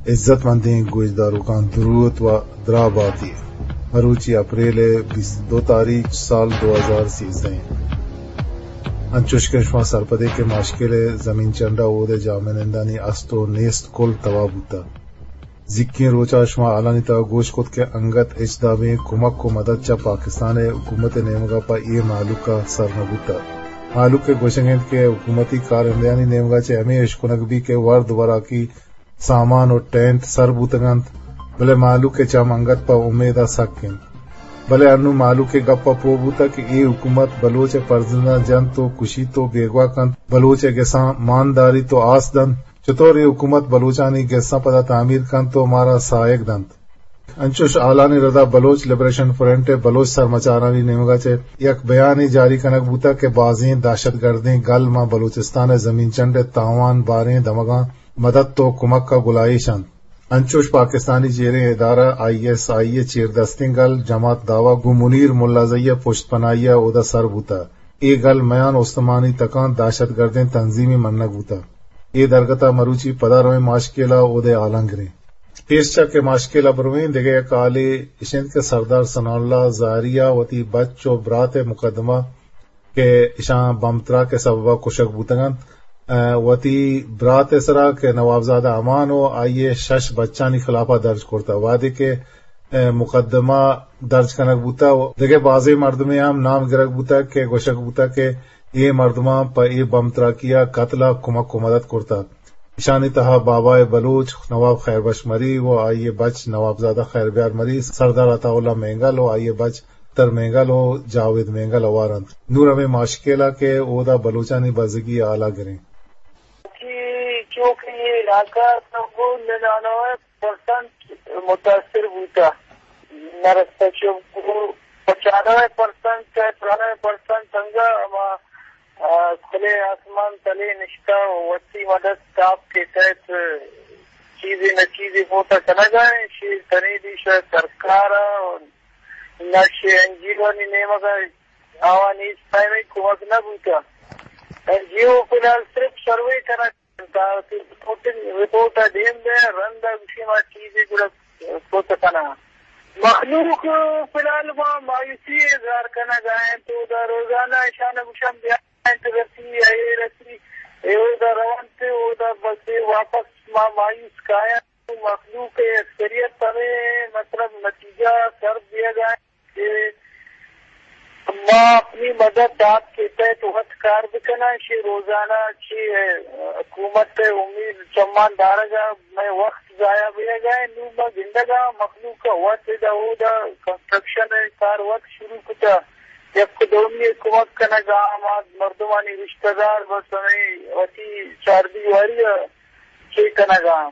عزت مندیں گوشداروکاں دروت و دراہ باتی۔ مروچی اپریل ءِ بیست ءُ دو تاریخ، سال دو ہزار سیزدہ ایں۔ انچوش کہ شما سرپدے کہ ماشکل ءِ زمین چنڈ ءَ اود ءِ جاہمنندانی است و نیست کل تباہ بوتگ۔ زیکیں روچ ءَ شما حالانی تہا گوش کت کہ انگت ہچ دابیں کمک و مدد چہ پاکستان ءِ حکومت ءِ نیمگ ءَ پہ اے مہلوک ءَ سر نہ بوتگ۔ مہلوک ءِ گوشگ انت کہ حکومتی کارندہانی نیمگ ءَ چہ ہمے اشکنگ بیت کہ ورد وراکی سامان و ٹینٹ سر بوتگ انت، بلے مہلوک ءِ چم انگت پہ امید ءَ سک انت۔ بلے انوں مہلوک ءِ گپ ءَ پوہ بوتگ کہ اے حکومت بلوچ ءِ پرزنداں جنت و کشیت و بیگواہ کنت، بلوچ ءِ گساں مان داریت و آس دنت۔ چتور اے حکومت بلوچانی گساں پدا تعمیر کنت و مارا ساہگ دنت؟ انچوش حالانی ردا بلوچ لبریشن فرنٹ ءِ بلوچ سرمچارانی نیمگ ءَ چہ یک بیانے جاری کنگ بوتگ کہ بازیں دہشت گردیں گل ماں بلوچستان ءِ زمین چنڈ ءِ تاوان باریں دمگاں مدد و کمک ءَ گلائیش انت۔ انچوش پاکستانی چیریں ادارہ آئی ایس آئی ءِ چیردستیں گل جماعت دعویٰ گوں منیر ملازئی ءِ پشت پناہی ءَ اودا سر بوتگ۔ اے گل میان استمانی تکاں دہشت گردیں تنظیمے منگ بوتگ۔ اے درگت ءَ مروچی پدا رویں ماشکیل ءَ اود ءِ حالاں گریں۔ پیش چہ کہ ماشکیل ءَ برویں، دگہ یک حالے اش انت کہ سردار ثناء اللہ زہری ءَ وتی بچ و برات ءِ مقدمہ کہ اشاں بمب تراک ءِ سبب ءَ کشگ بوتگ انت، ءَ، وتی برات ءِ سرا کہ نوابزادہ امان و آئی ءِ شش بچانی خلاف ءَ درج کرتگ۔ وہدے کہ، ءَ، مقدمہ درج کنگ بوتگ، دگہ بازیں مردمے ہم نام گرگ بوتگ کہ گوشگ بوتگ کہ اے مردماں پہ اے بمب تراکی ءَ قتل ءَ کمک و مدد کرتگ۔ اشانی تہا بابائے بلوچ، نواب خیر بخش مری و آئی ءِ بچ نوابزادہ خیر بیار مری، سردار عطا اللہ مینگل و آئی ءِ بچ تر مینگل و جاوید مینگل ہوار انت۔ نوں ہمے ماشکیل ءَ کہ اودا بلوچانی بزگی ءِ حال ءَ گریں۔ کہ چونکہ یہ علاقہ تو وہ ننانوے پرسنٹ متاثر بوتا، نرستا چو پچانوے پرسنٹ، ترانوے پرسنٹ انگا ہما، آ، کھلے آسمان تلے نشتا و وتی مدد تاپ کے تحت چیزے نہ چیزے موتا کنگا ہیں، شیر تنیدی شہ سرکار ءَ نہ شہ این جی او آنی نیمگ ءَ آوانی ہچ پیمیں کمک نہ بوتا۔ این جی او فی الحال صرف سروے کنگ انت، رپورٹنگ، رپورٹ ءَ دیم دے، رند ءَ گوشی ما چیزے گڑا کت کناں۔ مخلوق فی الحال ما مایوسی اظہار کنگ ءَ انت، اودا روزانہ اشان ءَ گوشاں بیا انت رسی، اے رسی، اے اودا رونت، اودا بس اے واپس ما مایوس کایاں۔ مخلوق ءِ اکثریت ہمے مطلب نتیجہ سر دیگ ءَ انت کہ ما اپنی مدد دات کے تحت وت کار بکناں، شے روزانہ چی حکومت ءِ امید چمان دارگ ءَ مئے وقت ضائع بیگ ءَ۔ نوں ما گندگ ءَ مخلوق ءَ وت ادا اودا کنسٹرکشن ءِ کار وت شروع کتہ، یک دومی ءِ کمک کنگ ءَ، ہما مردمانی رشتہ دار بس ہمے وتی چاردیواری ءَ چے کنگ ءَ،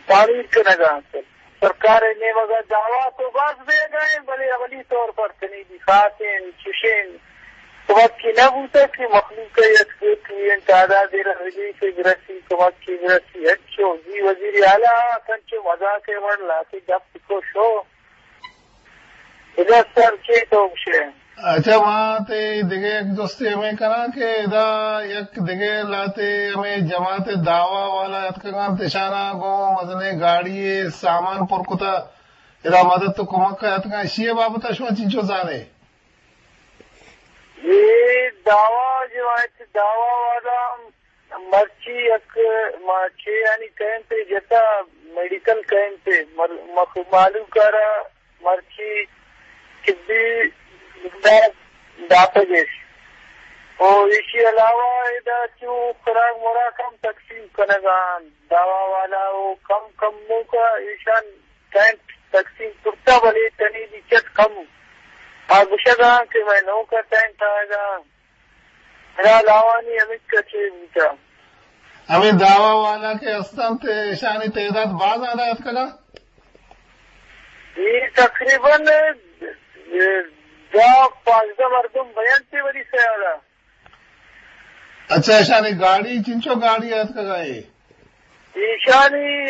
تعمیر کنگ ءَ انت۔ سرکار ءِ نیمگ ءَ دعویٰ تو باز بیگ ءَ انت، بلے عملی طور پر تنیدی خاصیں چشیں کمکی نہ بوتگ کہ مخلوق ءَ یک دوتویں تعدادے را ریلیف برسی، کمکی برسی۔ انچو زی وزیر اعلیٰ ءَ انچو مذاق ءِ وڑ لہتے گپ کو شو۔ ادا سر چے تو گوشے؟ اچھا، ما تے دگہ یک جستے ہمے کناں کہ ادا یک دگہ لہتے ہمے جماعت دعویٰ والا اتکگاں، تشانا گوں مزنیں گاڑی سامان پر کتا، ادا مدد تو کمک اتکگاں، اشی بابت شما چنچو زانے؟ یہ دعویٰ جو ہے، دعویٰ والا مرچی یک ما چے آنی کیمپ ءَ جتا، میڈیکل کیمپ ءَ مر-، مخ-، مہلوک ءَ را مرچی طبی امداد داتگ اش۔ او ایشی علاوہ ادا چو خوراک مراک ہم تقسیم کنگ ءَ انت۔ دعویٰ والا او کم کم موقع ایشان ٹینٹ تقسیم کرتا، بلے تنی دی چٹ کم۔ آ گوشگ ءَ انت کہ مئے نوکا ٹینٹ آیگ ءَ انت۔ بہرحال آوانی ہمک ءَ چے بوتہ۔ ہمے دعویٰ والا کہ ہست انت، ایشانی تعداد باز زیادہ اتکگ ءَ؟ اے تقریباً دہ پانزدہ مردم بینت وری سیال ءَ۔ اچھا، ایشانی گاڑی، چنچو گاڑی اتکگ ءَ اے؟ ایشانی،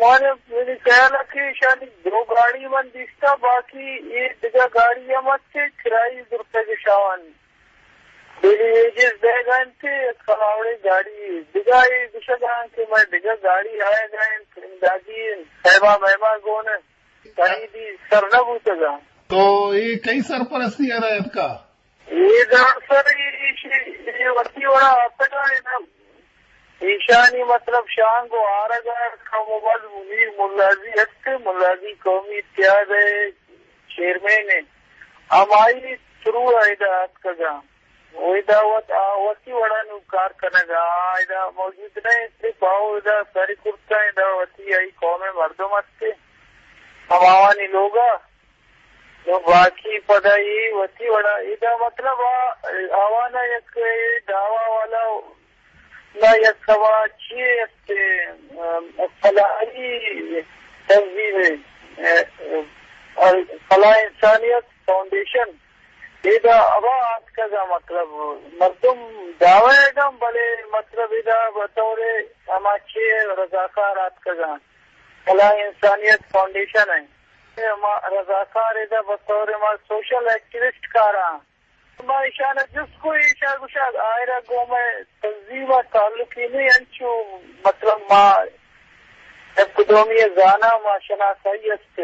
من، منی خیال ءَ کہ ایشانی دو گاڑی من دیستہ، باقی اے دگہ گاڑی ہم ات کہ کرائی زرتگ اش آوانی۔ ڈیلی ویجز دیگ ءَ انت، یک کلاوڑے گاڑی دگہ اے گوشگ ءَ انت کہ مئے دگہ گاڑی آیگ ءَ انت، امدادی انت، صاحبہ مہمہ گون انت، خریدی سر نہ بوتگ ءَ۔ تو اے کئی سرپرستی ءَ را اتکا؟ اے دار سر ایشی، اے وتی وڑا آتکا ادا۔ ایشانی مطلب شانگ و آرگ ءَ کم و باز منیر ملازی ہست، ملازی قومی اتحاد ءِ چیئرمین انت۔ ہمائی تھرو ءَ ادا آتکگاں۔ و ادا وت، آ وتی وڑا نوں کار کنگ ءَ، آ ادا موجود نہ انت، صرف آ ادا سر کرتہ، ادا وتی آئی قوم ءِ مردم ہست، ہماوانی لوگ ءَ۔ نوں باقی پدا اے وتی وڑا، ادا مطلب آ، آوانا یک اے دعوی والا نہ یک ہما چیے است، ام، فلاحی تنظیم، ام، فلاح انسانیت فاؤنڈیشن، ادا ہوا آتکگا، مطلب مردم دعوی گم، بلے مطلب ادا بطور ہما چیے رضاکار آتکگا، فلاح انسانیت فاؤنڈیشن ہے۔ ما رضاکار ادا بطور ما سوشل ایکٹیوسٹ کاراں۔ ما ایشان جست کو، ایشا گوشا آئرا گوں مئے تنظیم ءَ تعلقی نہیں، انچو مطلب ما یک دومی زانا ما شناسائی است۔